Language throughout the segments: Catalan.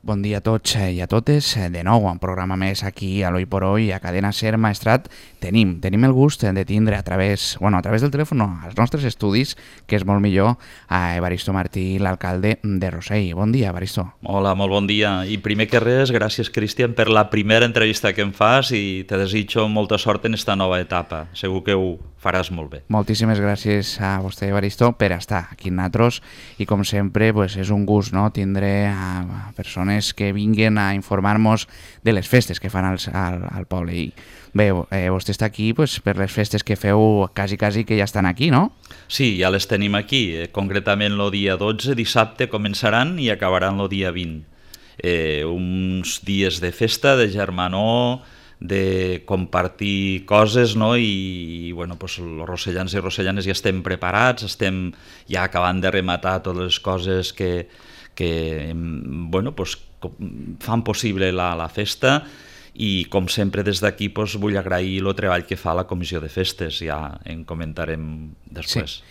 bon dia a tots i a totes. De nou, un programa més aquí a l'Hoy por Hoy, a Cadena SER Maestrat. Tenim el gust de tindre a través del telèfon, als nostres estudis, que és molt millor, a Evaristo Martí, l'alcalde de Rossell. Bon dia, Evaristo. Hola, molt bon dia. I primer que res, gràcies, Cristian, per la primera entrevista que em fas i te desitjo molta sort en esta nova etapa. Segur que ho faràs molt bé. Moltíssimes gràcies a vostè, Evaristo, per estar aquí amb nosaltres i, com sempre, és un gust tindre a persones que vinguen a informar-nos de les festes que fan al poble. I bé, vostè està aquí per les festes que feu quasi que ja estan aquí, no? Sí, ja les tenim aquí. Concretament el dia 12, dissabte, començaran i acabaran el dia 20. Uns dies de festa, de germanor, de compartir coses, no? I bueno, els rossellans i rossellanes ja estem preparats, estem ja acabant de rematar totes les coses que bueno, fan possible la festa. I com sempre des d'aquí vull agrair el treball que fa la comissió de festes, ja en comentarem després. Sí.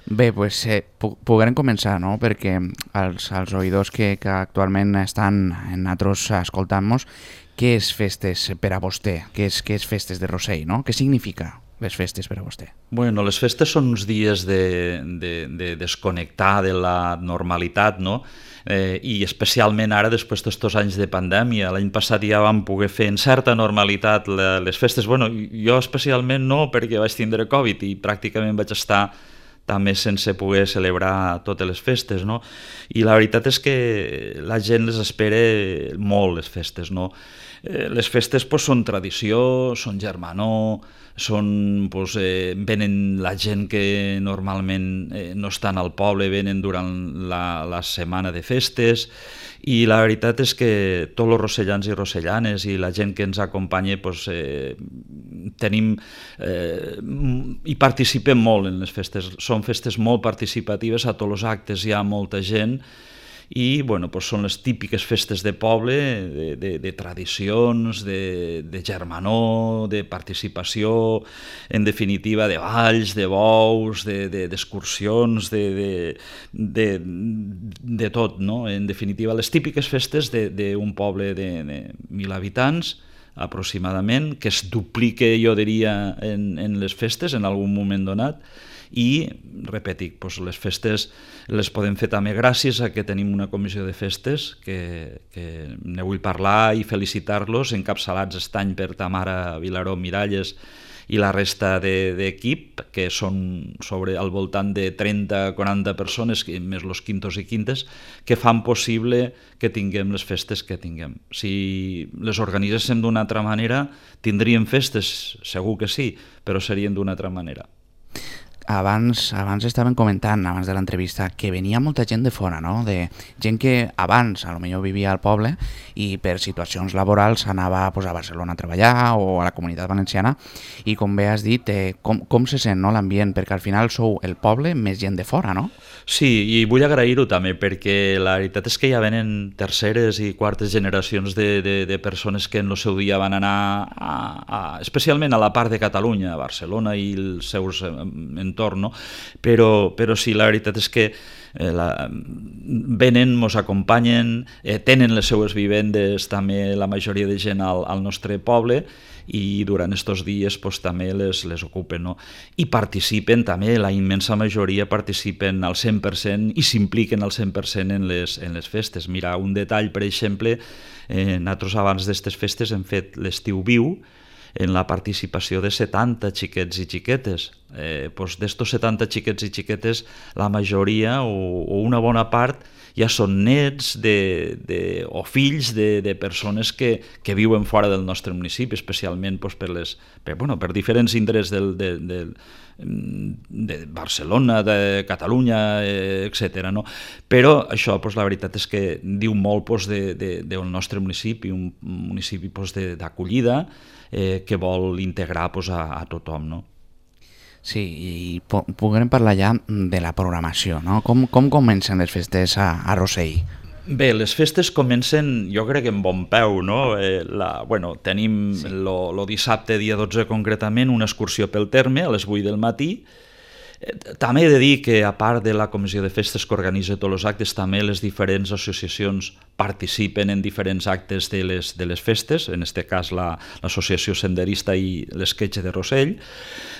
Bé, podrem començar, no? Perquè els oïdors que actualment estan en nosaltres escoltant-nos, què és festes per a vostè? Què és festes de Rossell, no? Què significa les festes per a vostè? Bueno, les festes són uns dies de desconnectar de la normalitat, no? I especialment ara, després d'estos anys de pandèmia. L'any passat ja vam poder fer en certa normalitat les festes. Bueno, jo especialment no, perquè vaig tindre Covid i pràcticament vaig estar també sense poder celebrar totes les festes, no? I la veritat és que la gent les espera molt, les festes, no? Les festes són tradició, són germanor, venen la gent que normalment no estan al poble, venen durant la setmana de festes, i la veritat és que tots els rossellans i rossellanes i la gent que ens acompanya i participem molt en les festes. Són festes molt participatives, a tots els actes hi ha molta gent i bueno, són les típiques festes de poble, de tradicions, de germanor, de participació, en definitiva de balls, de bous, d'excursions, de tot, no? En definitiva, les típiques festes d'un poble de 1.000 habitants, aproximadament, que es duplica, jo diria, en les festes en algun moment donat. I, repetic, les festes les podem fer també gràcies a que tenim una comissió de festes que ne vull parlar i felicitar-los, encapçalats aquest any per Tamara Vilaró Miralles i la resta d'equip, que són al voltant de 30-40 persones, més els quintos i quintes, que fan possible que tinguem les festes que tinguem. Si les organitzéssim d'una altra manera, tindríem festes, segur que sí, però serien d'una altra manera. Abans estaven comentant, abans de l'entrevista, que venia molta gent de fora, no? De gent que abans potser vivia al poble i per situacions laborals anava a Barcelona a treballar o a la Comunitat Valenciana, i com bé has dit, com se sent l'ambient? Perquè al final sou el poble més gent de fora, no? Sí, i vull agrair-ho també, perquè la veritat és que ja venen terceres i quartes generacions de persones que en el seu dia van anar especialment a la part de Catalunya, a Barcelona i els seus entorn, no? Però sí, la veritat és que venen, ens acompanyen, tenen les seues vivendes també la majoria de gent al nostre poble, i durant aquests dies també les ocupen, no? I participen també, la immensa majoria participen al 100% i s'impliquen al 100% en les festes. Mira, un detall, per exemple, nosaltres abans d'aquestes festes hem fet l'estiu viu, en la participació de 70 xiquets i xiquetes. D'estos 70 xiquets i xiquetes, la majoria o una bona part ja són nets o fills de persones que viuen fora del nostre municipi, especialment per diferents indrets de Barcelona, de Catalunya, etc. No? Però això, la veritat és que diu molt del nostre municipi, un municipi d'acollida, que vol integrar a tothom, no? Sí, i podrem parlar ja de la programació, no? Com comencen les festes a Rossell? Bé, les festes comencen, jo crec, en bon peu, no? Tenim el dissabte, dia 12 concretament, una excursió pel terme a les 8 del matí, També he de dir que, a part de la comissió de festes que organitza tots els actes, també les diferents associacions participen en diferents actes de les festes, en aquest cas l'associació senderista i l'esquetx de Rossell.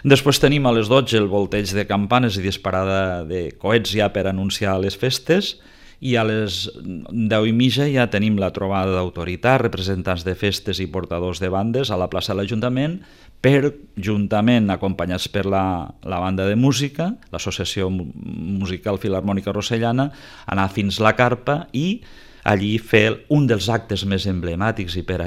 Després tenim a les 12 el volteig de campanes i disparada de coets ja per anunciar les festes, i a les 10:30 ja tenim la trobada d'autoritat, representants de festes i portadors de bandes a la plaça de l'Ajuntament, juntament acompanyats per la banda de música, l'Associació Musical Filharmònica Rossellana, anar fins la carpa i allí fer un dels actes més emblemàtics i per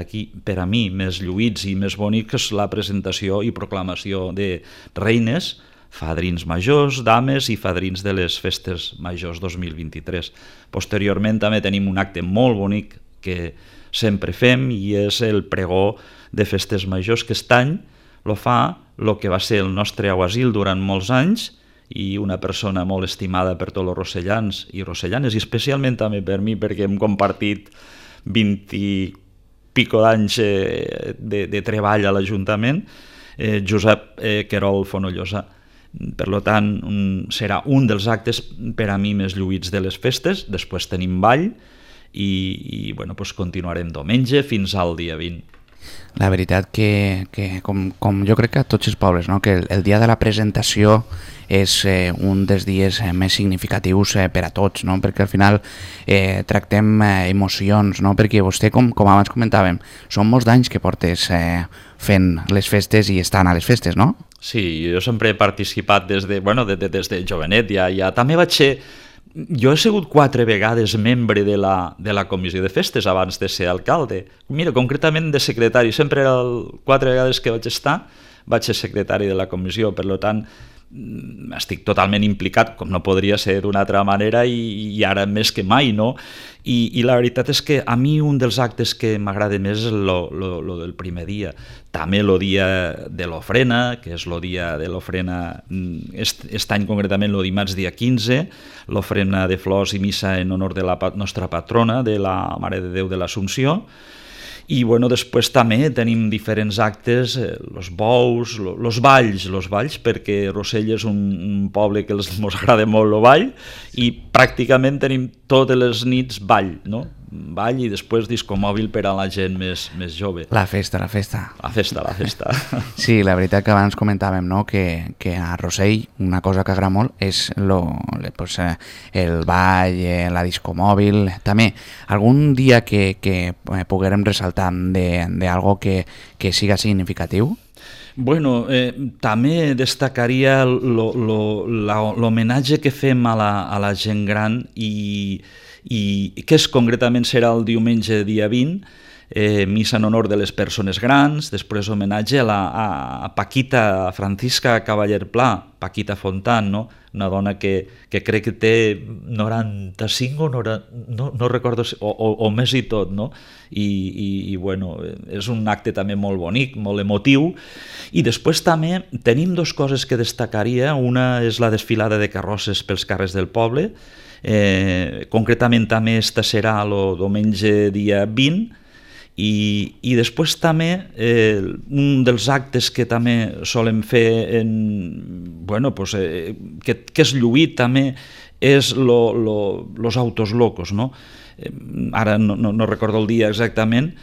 a mi més lluïts i més bonics, que és la presentació i proclamació de reines, fadrins majors, dames i fadrins de les festes majors 2023. Posteriorment també tenim un acte molt bonic que sempre fem i és el pregó de festes majors, que aquest any lo fa el que va ser el nostre aguasil durant molts anys i una persona molt estimada per tots els rossellans i rossellanes, i especialment també per mi, perquè hem compartit 20 i pico d'anys de treball a l'Ajuntament, Josep Querol Fonollosa. Per tant, serà un dels actes per a mi més lluïts de les festes. Després tenim ball i continuarem diumenge fins al dia 20. La veritat que com jo crec que a tots els pobles, no? Que el dia de la presentació és un dels dies més significatius per a tots, no? Perquè al final tractem emocions, no? Perquè vostè, com abans comentàvem, són molts d'anys que portes fent les festes i estan a les festes, no? Sí, jo sempre he participat des de jovenet, ja també vaig ser... Jo he sigut 4 vegades membre de la comissió de festes abans de ser alcalde. Mira, concretament de secretari, sempre era 4 vegades que vaig ser secretari de la comissió, per tant estic totalment implicat, com no podria ser d'una altra manera, i ara més que mai, no? I la veritat és que a mi un dels actes que m'agrada més és lo del primer dia. També el dia de l'ofrena, que és el dia de l'ofrena, aquest any concretament el dimarts dia 15, l'ofrena de flors i missa en honor de la nostra patrona, de la Mare de Déu de l'Assumpció. I després també tenim diferents actes, els bous, els balls, perquè Rossell és un poble que ens agrada molt el ball, i pràcticament tenim totes les nits ball, no? Ball i després disco mòbil per a la gent més jove. La festa. La festa. Sí, la veritat que abans comentàvem, no? Que a Rossell una cosa que agrada molt és el ball, la disco mòbil. També, algun dia que poguérem ressaltar d'algo que siga significatiu? Bueno, també destacaria l'homenatge que fem a la gent gran i que concretament serà el diumenge dia 20, missa en honor de les persones grans, després homenatge a Paquita Francisca Cavaller Pla, Paquita Fontan, no? Una dona que crec que té 95 no recordo, o més i tot, no? I és un acte també molt bonic, molt emotiu. I després també tenim 2 coses que destacaria. Una és la desfilada de carrosses pels carrers del poble, concretament també esta serà el diumenge dia 20, i després també un dels actes que també solem fer que és lluït també és los autos locos, no? Ara no recordo el dia exactament,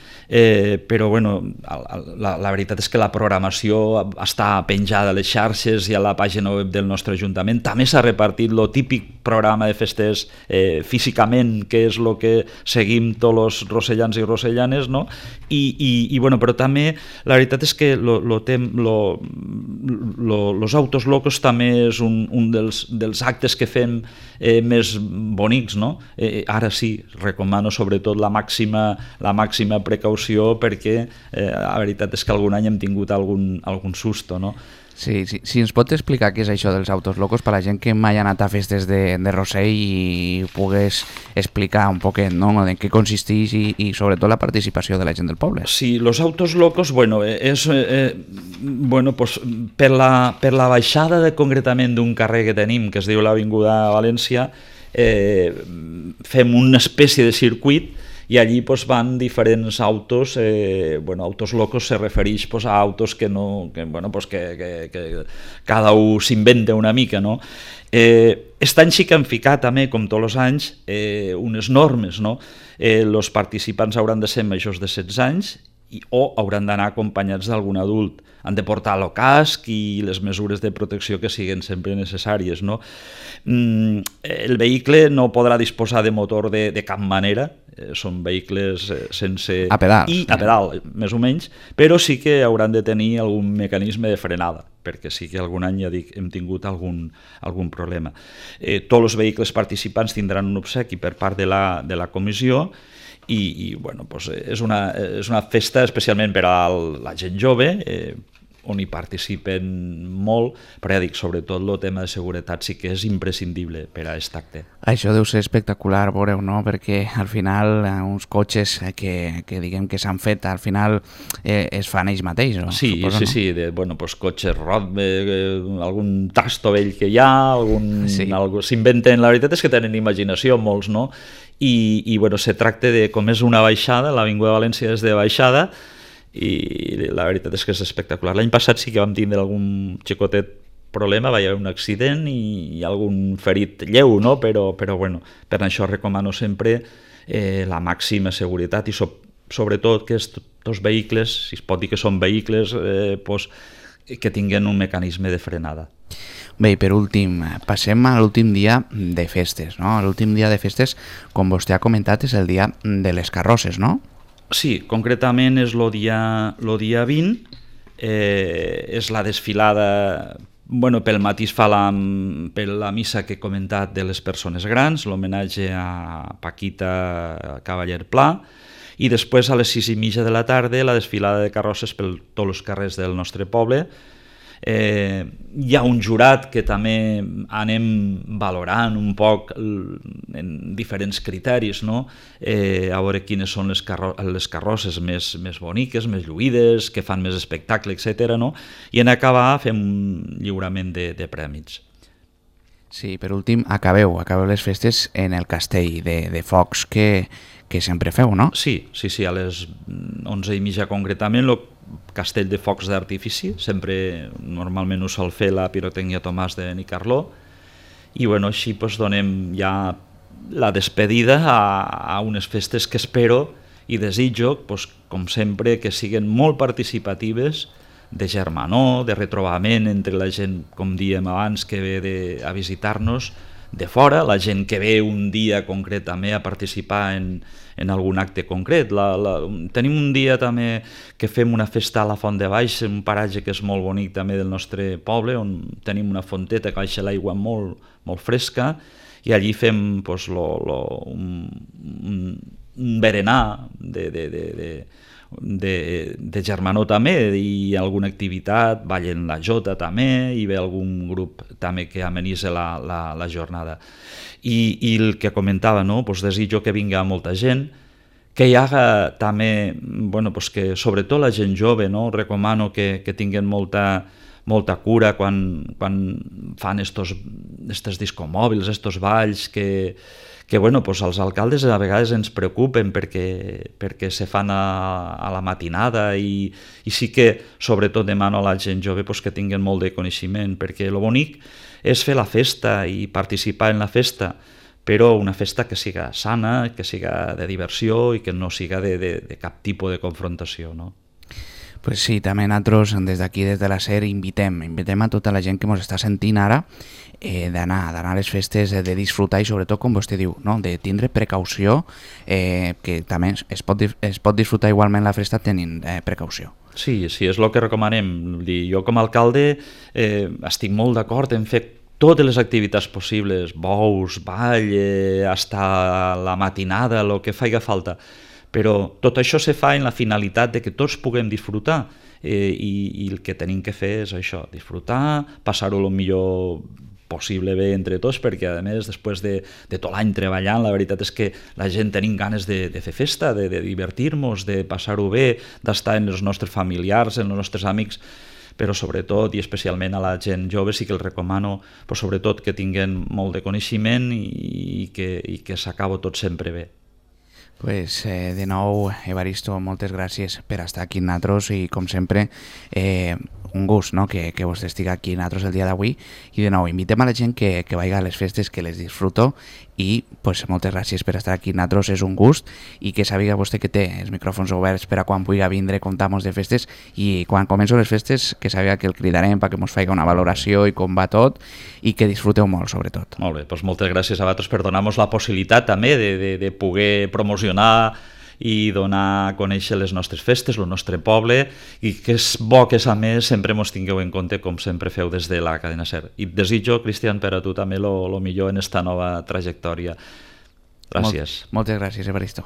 però la veritat és que la programació està penjada a les xarxes i a la pàgina web del nostre Ajuntament. També s'ha repartit el típic programa de festes físicament, que és el que seguim tots els rossellans i rossellanes, no? Però també la veritat és que los autos locos també és un dels actes que fem més bonics, no? Ara sí, recomano sobretot la màxima precaució, perquè la veritat és que algun any hem tingut algun susto, no? Sí, si ens pot explicar què és això dels autos locos per a la gent que mai ha anat a festes de Rossell i pogués explicar un poquet, no?, en què consisteix i sobretot la participació de la gent del poble. Sí, los autos locos, és per la baixada concretament d'un carrer que tenim, que es diu l'Avinguda València, fem una espècie de circuit i allí pues, van diferents autos, autos locos se refereix pues, a autos que, que cada un s'inventa una mica, no? Aquest any sí que han ficat també, com tots els anys, unes normes, no? Els participants hauran de ser majors de 16 anys o hauran d'anar acompanyats d'algun adult. Han de portar el casc i les mesures de protecció que siguin sempre necessàries, no? El vehicle no podrà disposar de motor de cap manera, són vehicles sense... A pedal. A pedal, més o menys, però sí que hauran de tenir algun mecanisme de frenada, perquè sí que algun any, ja dic, hem tingut algun problema. Tots els vehicles participants tindran un obsequi per part de la comissió i bueno, pues és una festa especialment per a la gent jove, on hi participen molt, però ja dic, sobretot el tema de seguretat sí que és imprescindible per a aquest acte. Això deu ser espectacular, veureu, no? Perquè al final uns cotxes que diguem que s'han fet, al final es fan ells mateixos, no? Sí, Suposo, sí, no? sí, pues cotxes algun tasto vell que hi ha, s'inventen, la veritat és que tenen imaginació molts, no? I bueno, se tracta de, com és una baixada, l'Avinguda de València és de baixada, i la veritat és que és espectacular. L'any passat sí que vam tindre algun xicotet problema, va haver un accident i algun ferit lleu, no? Però bueno, per això recomano sempre la màxima seguretat i sobretot que aquests vehicles, si es pot dir que són vehicles, que tinguin un mecanisme de frenada. Bé, i per últim, passem a l'últim dia de festes, no? L'últim dia de festes, com vostè ha comentat, és el dia de les carrosses, no? Sí, concretament és el dia 20, és la desfilada, bueno, pel matí es fa per la missa que he comentat de les persones grans, l'homenatge a Paquita Cavaller Pla, i després a les 6:30 de la tarda la desfilada de carrosses per tots els carrers del nostre poble. Hi ha un jurat que també anem valorant un poc en diferents criteris, no? A veure quines són les carrosses més boniques, més lluïdes, que fan més espectacle, etc. No? I en acabar fem un lliurament de prèmits. Sí, per últim, acabeu les festes en el castell de focs que sempre feu, no? Sí, a les 11:30 concretament, el castell de focs d'artifici, sempre normalment ho sol fer la pirotècnia Tomàs de Benicarló, i bueno, així doncs, donem ja la despedida a unes festes que espero i desitjo, doncs, com sempre, que siguin molt participatives, de germanor, de retrobament entre la gent, com diem abans, que ve a visitar-nos de fora, la gent que ve un dia concret també a participar en algun acte concret. Tenim un dia també que fem una festa a la Font de Baix, un paratge que és molt bonic també del nostre poble, on tenim una fonteta que baixa l'aigua molt, molt fresca, i allí fem pues, un berenar de germanor també, i alguna activitat, ballen la jota també, i ve algun grup també que amenitza la jornada. I el que comentava, no? Pues desitjo que vinga molta gent, que hi haga també, bueno, pues que sobretot la gent jove, no? Recomano que tinguin molta cura quan fan estos discomòbils, estos balls que bueno, pues els alcaldes a vegades ens preocupen perquè se fan a la matinada, i sí que sobretot demano a la gent jove pues, que tinguin molt de coneixement, perquè el bonic és fer la festa i participar en la festa, però una festa que siga sana, que siga de diversió i que no siga de cap tipus de confrontació, no? Pues sí, també nosaltres des d'aquí, des de la SER, invitem a tota la gent que ens està sentint ara d'anar a les festes, de disfrutar i sobretot, com vostè diu, no? De tindre precaució, que també es pot disfrutar igualment la festa tenint precaució. Sí, és el que recomanem. Jo com a alcalde estic molt d'acord en fer totes les activitats possibles, bous, ball, hasta la matinada, el que faci falta. Però tot això se fa en la finalitat de que tots puguem disfrutar, i el que tenim que fer és això, disfrutar, passar-ho el millor possible bé entre tots, perquè a més després de tot l'any treballant, la veritat és que la gent tenim ganes de fer festa, de divertir-nos, de passar-ho bé, d'estar amb els nostres familiars, amb els nostres amics, però sobretot i especialment a la gent jove sí que els recomano, però sobretot que tinguin molt de coneixement i que s'acabo tot sempre bé. Pues, de nou, Evaristo, moltes gràcies per estar aquí amb nosaltres i, com sempre, un gust, no?, que vostè estigui aquí amb nosaltres el dia d'avui. I, de nou, invitem a la gent que vagi a les festes, que les disfruto i, pues, moltes gràcies per estar aquí amb nosaltres, és un gust, i que sàpiga vostè que té els micròfons oberts per a quan pugui vindre, comptar-nos de festes, i quan començo les festes que sàpiga que el cridarem perquè ens faci una valoració i com va tot, i que disfruteu molt, sobretot. Molt bé, doncs moltes gràcies a vosaltres per donar-nos la possibilitat també de poder promocionar i donar a conèixer les nostres festes, el nostre poble, i que és bo que a més sempre ens tingueu en compte, com sempre feu des de la cadena SER. I et desitjo, Cristian, per a tu també el millor en esta nova trajectòria. Gràcies. Moltes gràcies, Evaristo.